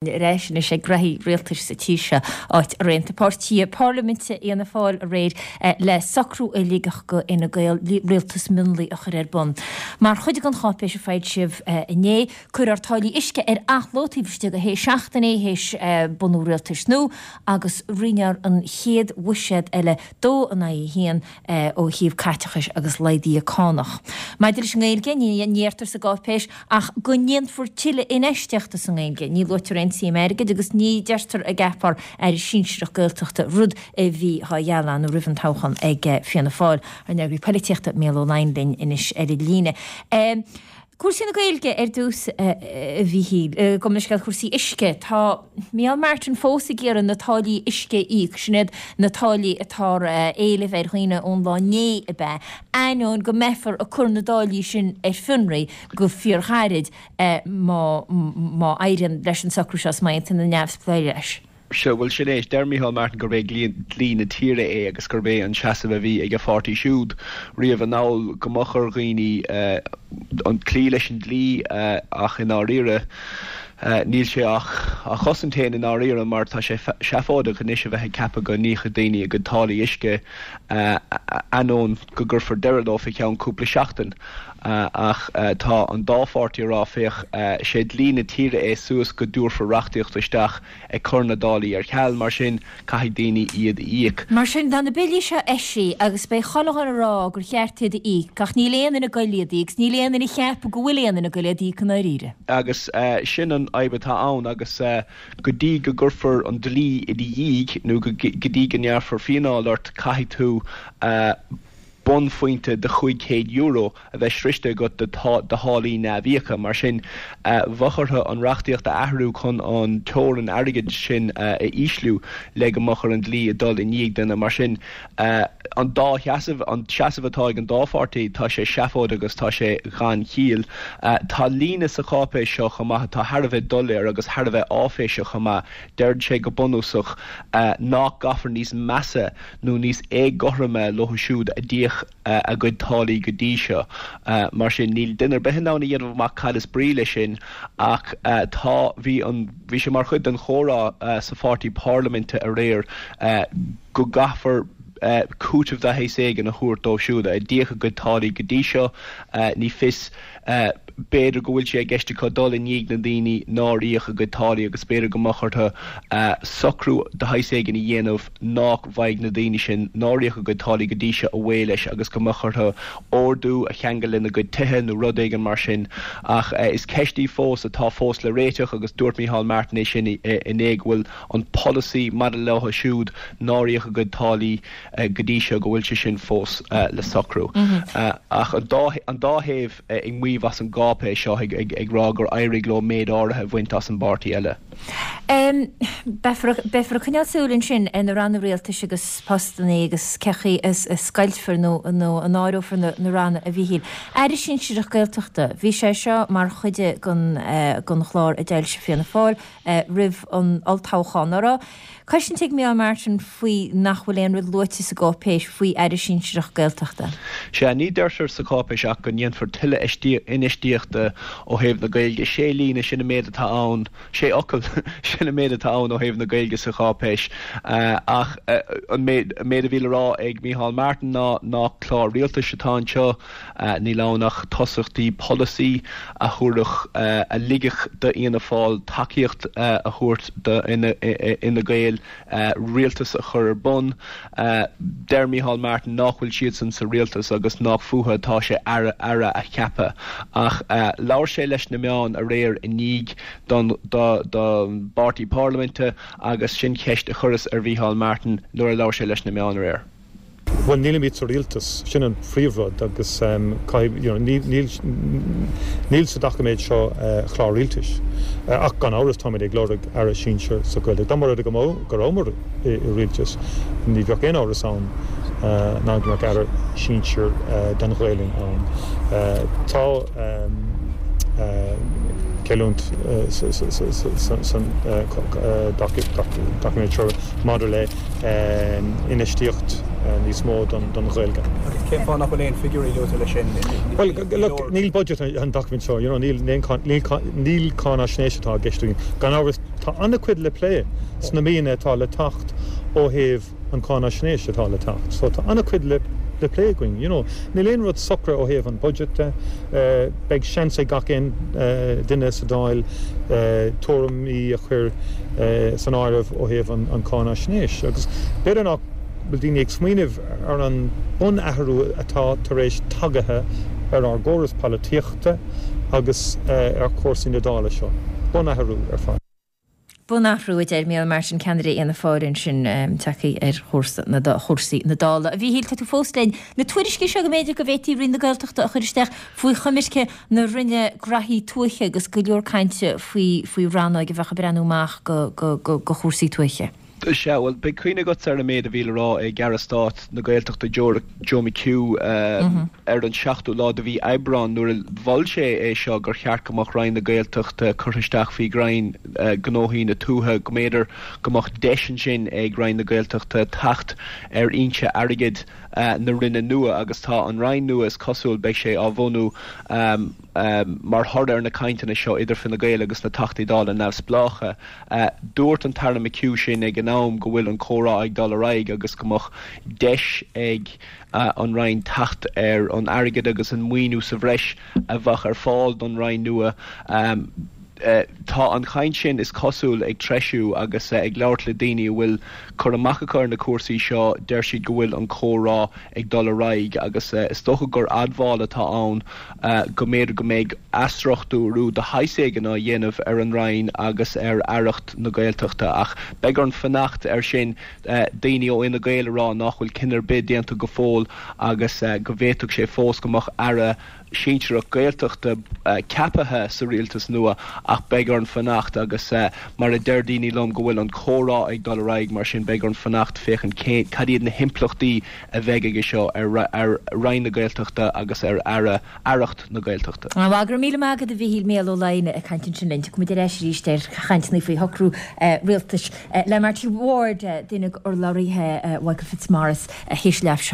Ar ais anois ag graithí rialtais sa tír seo, áit ar aontaigh páirtithe parlaiminte Fhianna Fáil aréir le socrú a ligfeadh do Fhine Gael rialtas mionlaigh a chur ar bun. Mar chuid den cháipéis a foilsíodh inné, cuirfear táillí uisce ar athló taobh istigh de shé seachtainí théis bunú rialtais nua agus roinnfear an chéad bhuiséad eile dó in aghaidh a haon ó thaobh caiteachais agus laghduithe cánach. Maidir leis an nGaeilge, ní deirtear sa gcáipéis ach go ndéanfar tuilleadh infheistíochta sa nGaeilge. Ní luaitear aon tsuim airgid agus ní deirtear a gceapfar Aire Sinsearach Gaeltachta, rud a bhí á ghealladh roimh an toghchán ag Fianna Fáil. Ár n-eagraí polaitíochta Mícheál Ó Laighin linn anois ar an líne. Cúrsaí na Gaeilge ar dtús, a Mhíchíl. Gabh mo leithscéal, cúrsaí uisce. Tá Micheál Martin fós ag iarraidh na táillí uisce a íoc. Sin iad na táillí atá á éileamh ar dhaoine ón lá inné, ab ea? Ainneoin go mbeifear ag cur na dtáillí sin ar fionraí go fíorghairid má má éiríonn leis an socrú seo is má aontaíonn na neamhspleáigh leis. Sea, bhuel, sin é. Deir Micheál Martin gurb é dlí na tíre é agus gurb é an seasamh a bhí ag a pháirtí siúd riamh anall go mbeadh ar dhaoine cloí leis an dlí ach i ndáiríre níl sé ach á chosaint féin i ndáiríre mar tá sé seafóideach anois a bheith ag ceapadh go n-íocfaidh daoine a gcuid táillí uisce ainneoin go gcuirfear deireadh leo fé cheann cúpla seachtain. Ach tá an dá pháirtí ag rá féach, sé dlí na tíre é suas go dtabharfar reachtaíocht isteach ag cur na dtáillí ar ceal, mar sin, caithfidh daoine iad a íoc. Mar sin, tá na billí seo eisithe agus beidh chuile dhuine ag rá gur cheart iad a íoc, ach níl aon duine ag goil iad a íoc, 's níl aon duine ag ceapadh go bhfuil aon duine ag goil iad a íoc i ndáiríre. Agus sin an fhadhb atá ann, agus go dtí go gcuirfear an dlí i do dhiaidh, nó go dtí go ngearrfar fíneáil ort, caithfidh tú bonnphointe de €500 a bheith sroichte agat de tháillí neamhíoctha. Mar sin, bheadh orthu an reachtaíocht a athrú chun an teorainn airgid sin a ísliú le go mbeadh ar an dlí a dul i ndiaidh duine. Mar sin, an dá sheasamh, an seasamh atá ag an dá pháirtí, tá sé seafóideach agus tá sé gan chiall. Tá líne sa cháipéis seo chomh maith atá thar a bheith doiléir agus thar a bheith áiféiseach chomh maith. Deir sé go bunúsach nach gcaithfear níos measa nó níos éagothroime leo siúd a d'íoc a gcuid táillí go dtí seo. Mar sin, níl duine ar bith in ann a dhéanamh amach cad is brí leis sin ach tá, bhí an, bhí sé mar chuid den chomhrá sa pháirtí parlaiminte aréir go gcaithfear cúiteamh de shaghas éigin a thabhairt dóibh siúd a d'íoc a gcuid táillí go dtí seo. Ní fios. B'fhéidir go bhfuil sé i gceist acu dul i ndiaidh na ndaoine nár íoc a gcuid táillí agus b'fhéidir go mbeadh orthu socrú de shaghas éigin a dhéanamh nach bhfaighidh na daoine sin nár íoc a gcuid táillí go dtí seo away leis agus go mbeadh orthu ordú a cheangal lena gcuid tithe nó rud éigin mar sin. Ach is ceist í fós atá fós le réiteach agus dúirt Micheál Martin é sin inné go bhfuil an polasaí maidir leo siúd nár íoc a gcuid táillí go dtí seo go bhfuil sé sin fós le socrú. Ach an dá an dá thaobh ag maíomh as an gcáipéis seo, ag rá gur éirigh leo méid áirithe a bhaint as an bpáirtí eile. Beifear beifear ag coinneáil súil ansin ar na ranna rialtais agus postanna agus cén chaoi a scoiltfear nó nó a n-áireofar na na ranna a Mhíchíl. Aire Sinsearach Gaeltachta, bhí sé seo mar chuid den den chlár a d'fhoilsigh Fianna Fáil roimh an olltoghchán. An raibh cosaint ag Micheál Martin faoi nach bhfuil aon rud luaite sa gcáipéis faoi Aire Sinsearach Gaeltachta. Sea, ní deirtear sa cháipéis ach go ndéanfar tuilleadh infheistíochta ó thaobh na Gaeilge. Sé líne, sin an méid atá ann, sé fhocal, sin an méid atá ann ó thaobh na Gaeilge sa cháipéis. Ach an méid a bhí le rá ag Micheál Martin ná nach clár rialtais atá anseo. Níl ann ach tosachtaí polasaí a thabharfadh, a ligfeadh d'Fhianna Fáil tacaíocht a thabhairt d'Fhine Gael rialtas a chur ar bun. Deir Micheál Martin nach bhfuil siadsan sa rialtas agus nach fúthu atá sé aire a cheapadh. Ach labhair sé leis na meáin aréir i ndiaidh don bpáirtí parlaiminte agus sin ceist a chuireas ar Mhicheál Martin nuair a labhair sé leis na meáin aréir. Bhuel, nílimid sa rialtas, sin an phríomhrud agus caithfidh, you know, níl, níl sa doiciméad seo clár rialtais. Ach gan amhras táimid ag lorg Aire Sinsir sa Ghaeilge. Dá mba rud é go mbeadh, go rabhamar i rialtas, ní bheadh aon amhras ann ná go mbeadh Aire Sinsir don Ghaelainn ann. Tá. Cailliúint san doiciméad seo maidir le infheistíocht níos mó don Ghaeilge. Agus cén fáth nach bhfuil aon figiúirí luaite leis sin? Bhuel, look, níl budget an doiciméad seo, you know, níl níl cáinaisnéis atá i gceist againn. Gan amhras, tá an-chuid le plé sna míonna atá le teacht ó thaobh an cáinaisnéis atá le teacht. So tá an-chuid le le plé againn, you know. Níl aon rud socraithe ó thaobh an budget de. Beidh seans ag gach aon duine sa Dáil tuairimí a chur san áireamh ó thaobh an cáinaisnéis. Agus b'fhéidir nach bhfuil daoine ag smaoineamh ar an bunathrú atá tar éis tagaithe ar ár gcóras polaitíochta agus ar chúrsaí na Dála seo. Bunathrú ar fad. Bunathrú, a deir Micheál Martin, ceannaire Fhianna Fáil ansin, tagtha ar chúrsa na chúrsaí na Dála. A Mhíchíl, tá tú fós linn. Na tuairiscí seo go mb'fhéidir go bhféadfaí Roinn na Gaeltachta a chur isteach faoi choimirce na Roinne Graithí Tuaithe agus go leor cainte faoi faoi rannóig a bheadh ag breathnú amach go go go go chúrsaí tuaithe. Sea, bhuel, beidh cuimhne agatsa ar an méid a bhí le rá ag Aire Stáit na Gaeltachta Joe Joe McHugh ar an seachtú lá de mhí Aibreáin nuair a mhol sé é seo gur cheart go mbeadh Roinn na Gaeltachta curtha isteach faoi Roinn Gnóthaí na Tuaithe, go mb'fhéidir go mbeadh deis ansin ag Roinn na Gaeltachta teacht ar fhoinse airgid na Roinne nua agus tá an Roinn nua is cosúil beidh sé á bhunú mar thoradh ar na cainteanna seo idir Fine Gael agus na Teachtaí Dála neamhspleácha. Dúirt an tAire McHugh sin ag an am go bhfuil an comhrá ag dul ar aghaidh agus go mbeadh deis ag an Roinn teacht ar an airgead agus an maoiniú sa bhreis a bheadh ar fáil don Roinn nua. Tá an chaint sin, is cosúil, ag treisiú agus ag labhairt le daoine a bhfuil cur amach acu ar na cúrsaí seo, deir siad go bhfuil an comhrá ag dul ar aghaidh agus is dócha gur admháil atá ann go mb'fhéidir go mbeidh athstruchtúrú de shaghas éigin á dhéanamh ar an Roinn agus ar Aireacht na Gaeltachta ach beidh orainn fanacht air sin. Daoine ó Fhine Gael ag rá nach bhfuil cinneadh ar bith déanta go fóill agus go bhféadfadh sé fós go mbeadh Aire sinsearach Gaeltachta ceaptha sa rialtas nua ach beidh orainn fanacht agus mar a deir daoine liom go bhfuil an comhrá ag dul ar aghaidh mar sin beidh orainn fanacht féachaint cé cad iad na himpleachtaí a bheidh aige seo ar Roinn na Gaeltachta agus ar Aire, Aireacht na Gaeltachta. Bhuel, go raibh míle maith agat a Mhíchíl, Mícheál Ó Laighléis ag caint ansin linn. Tiocfaidh muid ar ais arís ar chainteanna faoi shocrú rialtais le Marty Ward, duine d'urlabhraithe Mhichael Fitzmaurice, théis leath.